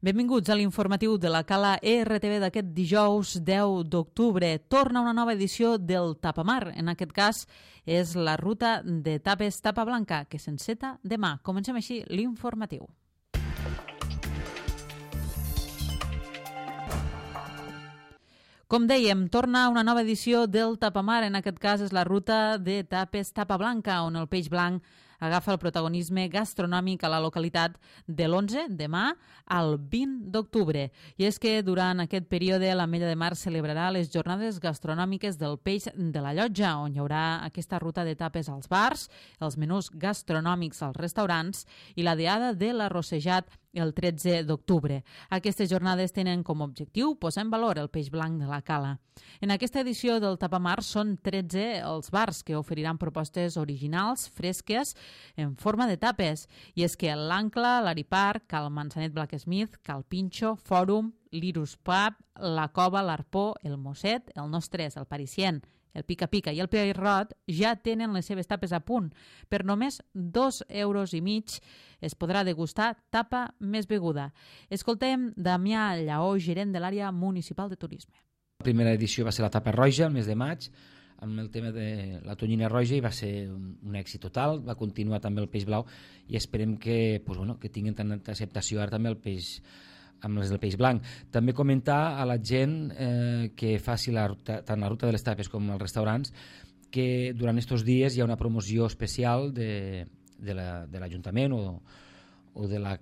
Benvinguts a l'informatiu de la Cala ERTV d'aquest dijous 10 d'octubre. Torna una nova edició del Tapamar. En aquest cas és la ruta de tapes Tapa Blanca, que s'enceta demà. Comencem així l'informatiu. Com dèiem, torna una nova edició del Tapamar. En aquest cas és la ruta de tapes Tapa Blanca, on el peix blanc agafa el protagonisme gastronòmic a la localitat de l'11, demà, al 20 d'octubre. I és que durant aquest període l'Ametlla de Mar celebrarà les jornades gastronòmiques del peix de la Llotja, on hi haurà aquesta ruta de tapes als bars, els menús gastronòmics als restaurants i la diada de l'arrossejat el 13 d'octubre. Aquestes jornades tenen com a objectiu posar en valor el peix blanc de la Cala. En aquesta edició del Tapamar són 13 els bars que oferiran propostes originals, fresques, en forma de tapes. I és que l'Ancla, l'Ariparc, Cal Manzanet Blacksmith, Cal Pinxo, Fòrum, l'Irus Pub, la Cova, l'Arpó, el Mosset, el Nostres, el Parisien, el Pica Pica i el Pierrot ja tenen les seves tapes a punt. Per només 2,5 € es podrà degustar tapa més beguda. Escoltem Damià Lleó, gerent de l'àrea municipal de turisme. La primera edició va ser la tapa roja, el mes de maig, amb el tema de la tonyina roja, i va ser un èxit total. Va continuar també el peix blau i esperem que tinguin tanta acceptació ara també el peix amb les del peix blanc. També comentar a la gent que faci tant la ruta de les tapes com els restaurants, que durant aquests dies hi ha una promoció especial de l'Ajuntament o de la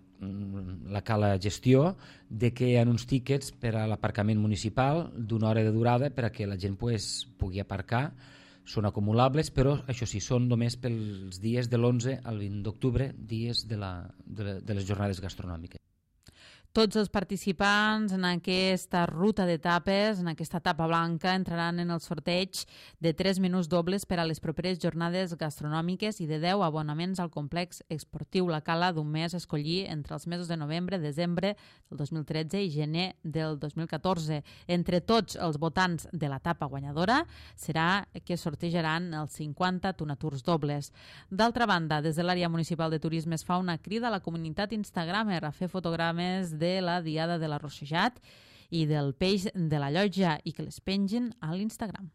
Cala Gestió, de que hi ha uns tíquets per a l'aparcament municipal d'una hora de durada per a que la gent pugui aparcar. Són acumulables, però això sí, són només pels dies de l'11 al 20 d'octubre, dies de les jornades gastronòmiques. Tots els participants en aquesta ruta de tapes, en aquesta tapa blanca, entraran en el sorteig de 3 menús dobles per a les properes jornades gastronòmiques i de 10 abonaments al complex esportiu La Cala d'un mes a escollir entre els mesos de novembre, desembre del 2013 i gener del 2014. Entre tots els votants de la tapa guanyadora serà que sortejaran els 50 tonaturs dobles. D'altra banda, des de l'àrea municipal de turisme es fa una crida a la comunitat instagramer a fer fotogrames de la diada de l'arrossejat i del peix de la Llotja i que les pengin a l'Instagram.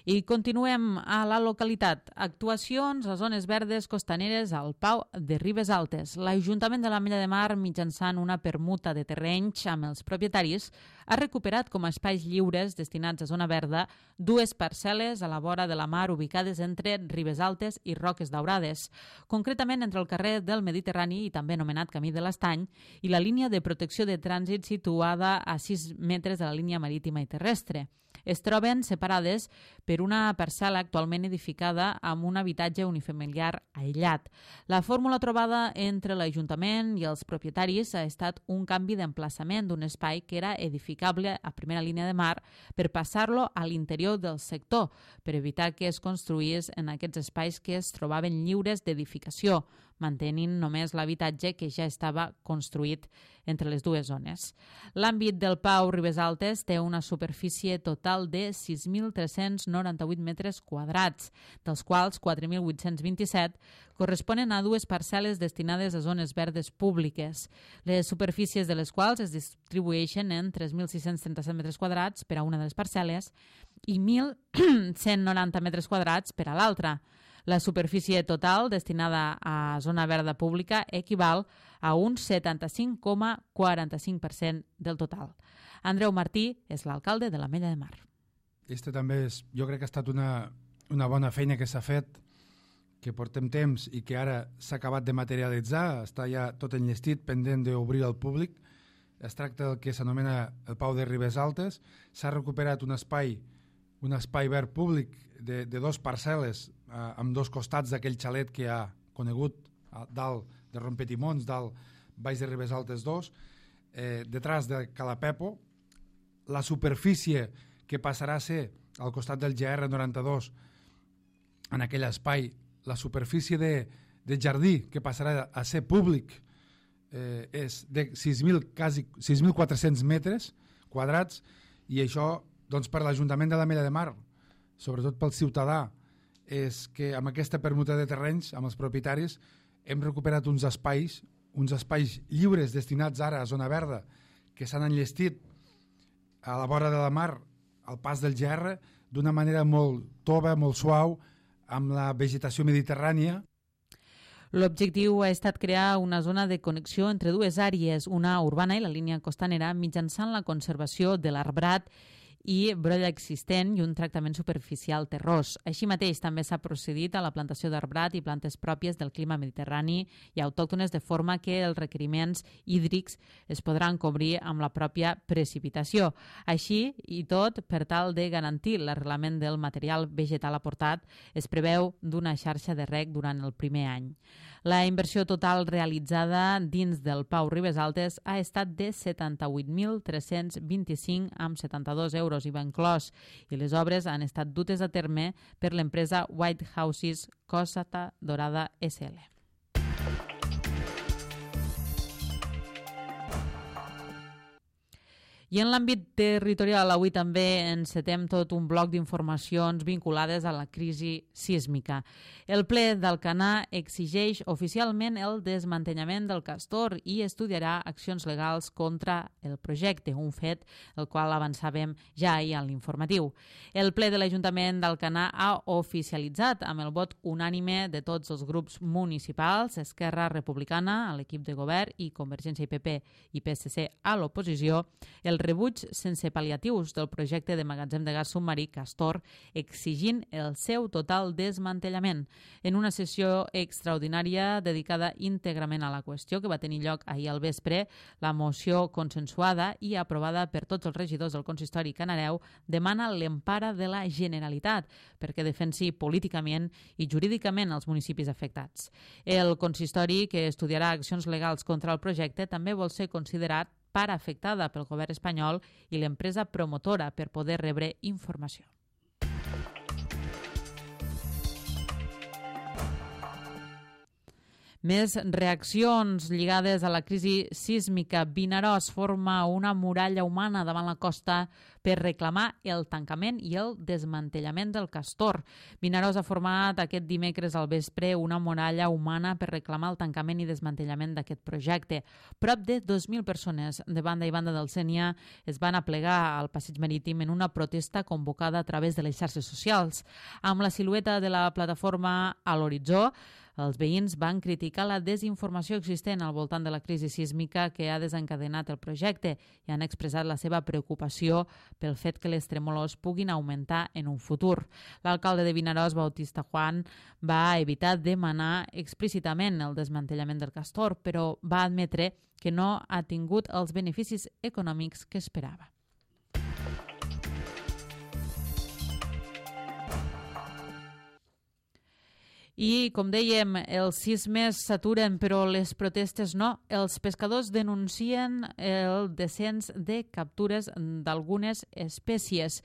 I continuem a la localitat. Actuacions a zones verdes costaneres al Pau de Ribes Altes. L'Ajuntament de l'Ametlla de Mar, mitjançant una permuta de terrenys amb els propietaris, ha recuperat com a espais lliures destinats a zona verda 2 parcel·les a la vora de la mar ubicades entre Ribes Altes i Roques Daurades, concretament entre el carrer del Mediterrani i també anomenat Camí de l'Estany i la línia de protecció de trànsit situada a 6 metres de la línia marítima i terrestre. Es troben separades per una parcel·la actualment edificada amb un habitatge unifamiliar aïllat. La fórmula trobada entre l'Ajuntament i els propietaris ha estat un canvi d'emplaçament d'un espai que era edificable a primera línia de mar per passar-lo a l'interior del sector, per evitar que es construís en aquests espais que es trobaven lliures d'edificació, mantenint només l'habitatge que ja estava construït entre les dues zones. L'àmbit del Pau Ribes Altes té una superfície total de 6.398 metres quadrats, dels quals 4.827 corresponen a 2 parcel·les destinades a zones verdes públiques, les superfícies de les quals es distribueixen en 3.637 metres quadrats per a una de les parcel·les i 1.190 metres quadrats per a l'altra. La superfície total destinada a zona verda pública equival a un 75,45% del total. Andreu Martí és l'alcalde de l'Ametlla de Mar. Jo crec que ha estat una bona feina que s'ha fet, que portem temps i que ara s'ha acabat de materialitzar, està ja tot enllestit, pendent d'obrir al públic. Es tracta del que s'anomena el Pau de Ribes Altes. S'ha recuperat un espai verd públic de 2 parcel·les amb 2 costats d'aquell xalet que ha conegut dalt de Rompetimons, dalt baix de Ribes Altes 2, detrás de Calapepo. La superfície que passarà a ser al costat del GR92 en aquell espai, la superfície de jardí que passarà a ser públic és de 6.400 metres quadrats, i això doncs, per l'Ajuntament de l'Ametlla de Mar, sobretot pel ciutadà, és que amb aquesta permuta de terrenys, amb els propietaris, hem recuperat uns espais lliures destinats ara a zona verda, que s'han enllestit a la vora de la mar, al pas del GR, d'una manera molt tova, molt suau, amb la vegetació mediterrània. L'objectiu ha estat crear una zona de connexió entre dues àrees, una urbana i la línia costanera, mitjançant la conservació de l'arbrat i brolla existent i un tractament superficial terrós. Així mateix, també s'ha procedit a la plantació d'arbrat i plantes pròpies del clima mediterrani i autòctones, de forma que els requeriments hídrics es podran cobrir amb la pròpia precipitació. Així i tot, per tal de garantir l'arrelament del material vegetal aportat, es preveu d'una xarxa de reg durant el primer any. La inversió total realitzada dins del Pau Ribes Altes ha estat de 78.325 amb 72 euros IVA inclòs, i les obres han estat dutes a terme per l'empresa White Houses Costa Dorada SL. I en l'àmbit territorial, avui també encetem tot un bloc d'informacions vinculades a la crisi sísmica. El ple d'Alcanar exigeix oficialment el desmantellament del castor i estudiarà accions legals contra el projecte, un fet el qual avançàvem ja ahir a l'informatiu. El ple de l'Ajuntament d'Alcanar ha oficialitzat, amb el vot unànime de tots els grups municipals, Esquerra Republicana, a l'equip de govern, i Convergència i PP i PSC a l'oposició, el rebuig sense pal·liatius del projecte de magatzem de gas submarí Castor, exigint el seu total desmantellament. En una sessió extraordinària dedicada íntegrament a la qüestió, que va tenir lloc ahir al vespre, la moció consensuada i aprovada per tots els regidors del consistori canareu demana l'empara de la Generalitat perquè defensi políticament i jurídicament els municipis afectats. El consistori, que estudiarà accions legals contra el projecte, també vol ser considerat part afectada pel govern espanyol i l'empresa promotora per poder rebre informació. Més reaccions lligades a la crisi sísmica. Vinaròs forma una muralla humana davant la costa per reclamar el tancament i el desmantellament del castor. Vinaròs ha format aquest dimecres al vespre una muralla humana per reclamar el tancament i desmantellament d'aquest projecte. Prop de 2.000 persones de banda i banda del Sénia es van aplegar al passeig marítim en una protesta convocada a través de les xarxes socials. Amb la silueta de la plataforma a l'horitzó, els veïns van criticar la desinformació existent al voltant de la crisi sísmica que ha desencadenat el projecte i han expressat la seva preocupació pel fet que les tremolors puguin augmentar en un futur. L'alcalde de Vinaròs, Bautista Juan, va evitar demanar explícitament el desmantellament del castor, però va admetre que no ha tingut els beneficis econòmics que esperava. I, com dèiem, els sismes s'aturen, però les protestes no. Els pescadors denuncien el descens de captures d'algunes espècies.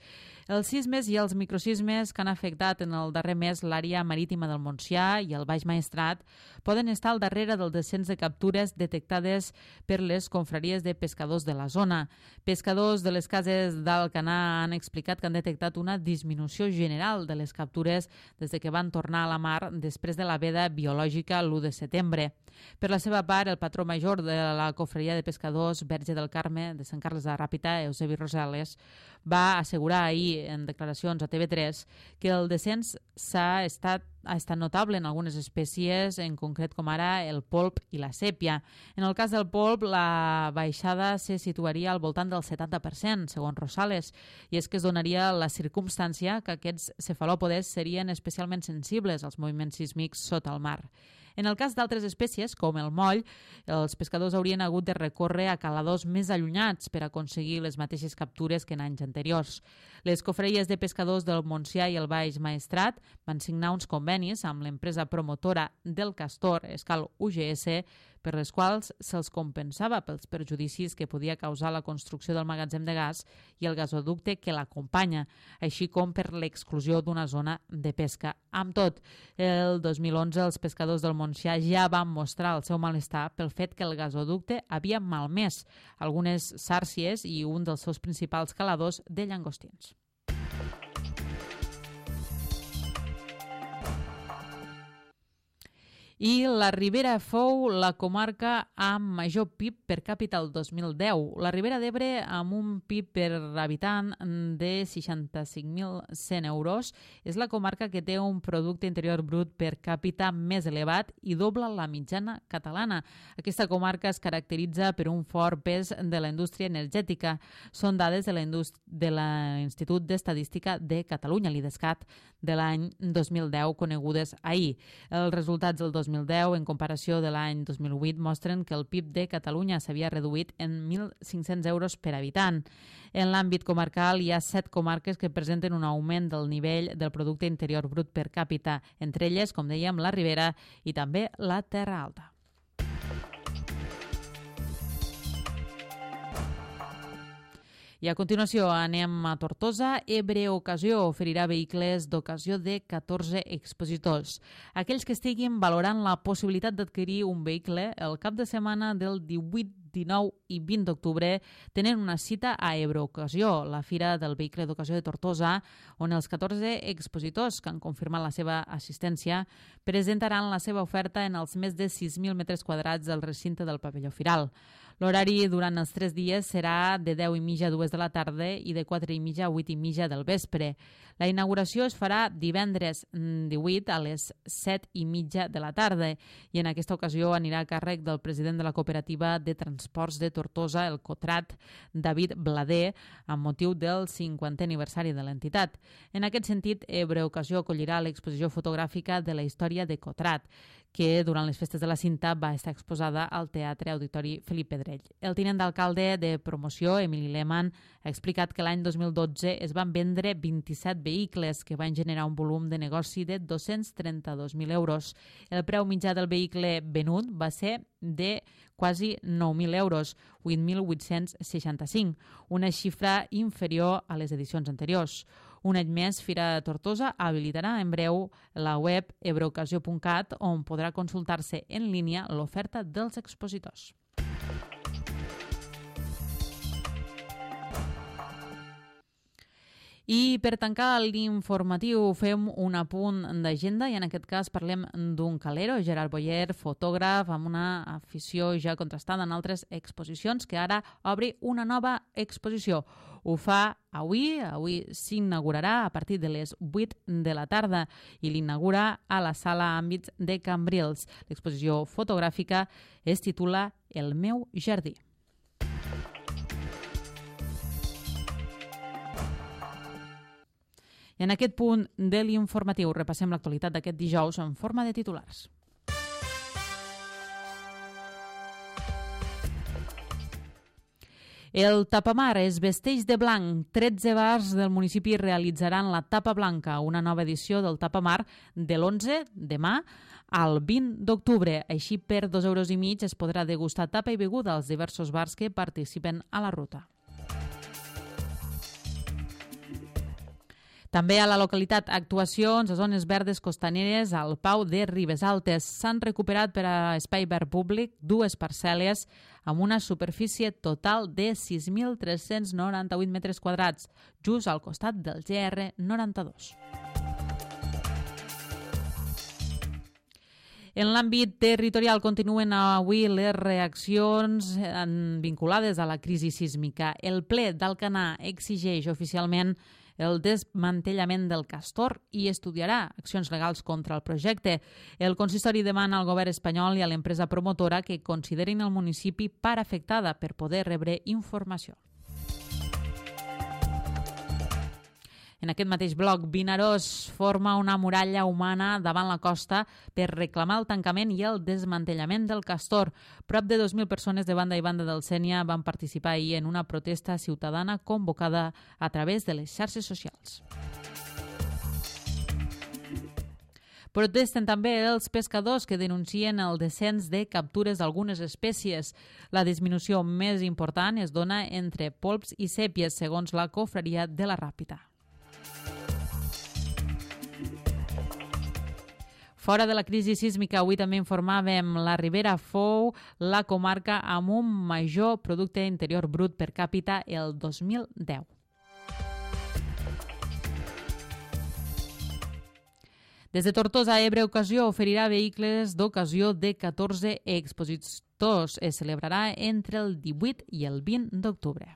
Els sismes i els microsismes que han afectat en el darrer mes l'àrea marítima del Montsià i el Baix Maestrat poden estar al darrere del descens de captures detectades per les confraries de pescadors de la zona. Pescadors de les cases d'Alcanar han explicat que han detectat una disminució general de les captures des de que van tornar a la mar després de la veda biològica l'1 de setembre. Per la seva part, el patró major de la cofreria de pescadors Verge del Carme de Sant Carles de Ràpita, Eusebi Rosales, va assegurar ahir en declaracions a TV3 que el descens ha estat notable en algunes espècies, en concret com ara el polp i la sèpia. En el cas del polp, la baixada se situaria al voltant del 70%, segons Rosales, i és que es donaria la circumstància que aquests cefalòpodes serien especialment sensibles als moviments sísmics sota el mar. En el cas d'altres espècies, com el moll, els pescadors haurien hagut de recórrer a caladors més allunyats per aconseguir les mateixes captures que en anys anteriors. Les cofreries de pescadors del Montsià i el Baix Maestrat van signar uns convenis amb l'empresa promotora del castor, Escal UGS, per les quals se'ls compensava pels perjudicis que podia causar la construcció del magatzem de gas i el gasoducte que l'acompanya, així com per l'exclusió d'una zona de pesca. Amb tot, el 2011 els pescadors del Montsià ja van mostrar el seu malestar pel fet que el gasoducte havia malmès algunes sàrcies i un dels seus principals caladors de llangostins. I la Ribera fou la comarca amb major PIB per càpita el 2010. La Ribera d'Ebre, amb un PIB per habitant de 65.100 euros, és la comarca que té un producte interior brut per càpita més elevat i dobla la mitjana catalana. Aquesta comarca es caracteritza per un fort pes de la indústria energètica. Són dades de l'Institut d'Estadística de Catalunya, l'IDESCAT, de l'any 2010, conegudes ahir. Els resultats del 2010, en comparació de l'any 2008, mostren que el PIB de Catalunya s'havia reduït en 1.500 euros per habitant. En l'àmbit comarcal hi ha 7 comarques que presenten un augment del nivell del producte interior brut per càpita, entre elles, com dèiem, la Ribera i també la Terra Alta. I a continuació anem a Tortosa. Ebre Ocasió oferirà vehicles d'ocasió de 14 expositors. Aquells que estiguin valorant la possibilitat d'adquirir un vehicle el cap de setmana del 18, 19 i 20 d'octubre tenen una cita a Ebre Ocasió, la Fira del Vehicle d'Ocasió de Tortosa, on els 14 expositors que han confirmat la seva assistència presentaran la seva oferta en els més de 6.000 metres quadrats del recinte del pavelló firal. L'horari durant els 3 dies serà de 10:30 a 2 de la tarda i de 4:30 a 8:30 del vespre. La inauguració es farà divendres 18 a les 7:30 de la tarda i en aquesta ocasió anirà a càrrec del president de la cooperativa de transports de Tortosa, el Cotrat, David Blader, amb motiu del 50è aniversari de l'entitat. En aquest sentit, Ebre Ocasió acollirà l'exposició fotogràfica de la història de Cotrat, que durant les festes de la Cinta va estar exposada al Teatre Auditori Felip Pedrell. El tinent d'alcalde de promoció, Emili Lehmann, ha explicat que l'any 2012 es van vendre 27 vehicles que van generar un volum de negoci de 232.000 euros. El preu mitjà del vehicle venut va ser de quasi 9.000 euros, 8.865, una xifra inferior a les edicions anteriors. Un any més, Fira Tortosa habilitarà en breu la web ebreocasio.cat, on podrà consultar-se en línia l'oferta dels expositors. I per tancar l'informatiu fem un apunt d'agenda i en aquest cas parlem d'un calero, Gerard Boyer, fotògraf amb una afició ja contrastada en altres exposicions, que ara obri una nova exposició. Ho fa avui s'inaugurarà a partir de les 8 de la tarda i l'inaugura a la sala Àmbits de Cambrils. L'exposició fotogràfica es titula El meu jardí. I en aquest punt de l'informatiu repassem l'actualitat d'aquest dijous en forma de titulars. El tapamar es vesteix de blanc. 13 bars del municipi realitzaran la Tapa Blanca, una nova edició del tapamar de l'11, demà, al 20 d'octubre. Així, per 2,5 euros es podrà degustar tapa i beguda als diversos bars que participen a la ruta. També a la localitat actuacions a zones verdes costaneres al Pau de Ribesaltes. S'han recuperat per a espai verd públic 2 parcel·les amb una superfície total de 6.398 metres quadrats, just al costat del GR92. En l'àmbit territorial continuen avui les reaccions vinculades a la crisi sísmica. El ple d'Alcanar exigeix oficialment el desmantellament del castor i estudiarà accions legals contra el projecte. El consistori demana al govern espanyol i a l'empresa promotora que considerin el municipi part afectada per poder rebre informació. En aquest mateix bloc, Vinaròs forma una muralla humana davant la costa per reclamar el tancament i el desmantellament del castor. Prop de 2.000 persones de banda i banda del Sénia van participar ahir en una protesta ciutadana convocada a través de les xarxes socials. Protesten també els pescadors que denuncien el descens de captures d'algunes espècies. La disminució més important es dona entre polps i sèpies, segons la confraria de la Ràpita. Fora de la crisi sísmica, avui també informàvem, la Ribera fou la comarca amb un major producte interior brut per càpita el 2010. Des de Tortosa, Ebre Ocasió oferirà vehicles d'ocasió de 14 expositors. Es celebrarà entre el 18 i el 20 d'octubre.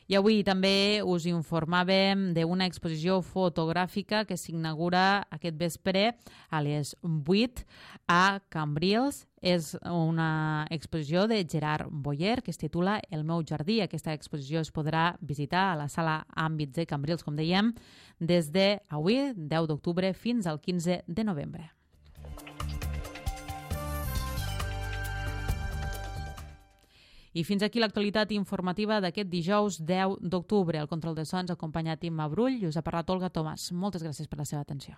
I avui també us informàvem d'una exposició fotogràfica que s'inaugura aquest vespre a les 8 a Cambrils. És una exposició de Gerard Boyer que es titula El meu jardí. Aquesta exposició es podrà visitar a la sala Àmbits de Cambrils, com dèiem, des d'avui, 10 d'octubre, fins al 15 de novembre. I fins aquí l'actualitat informativa d'aquest dijous 10 d'octubre. El control de sons ha acompanyat Imma Brull i us ha parlat Olga Tomàs. Moltes gràcies per la seva atenció.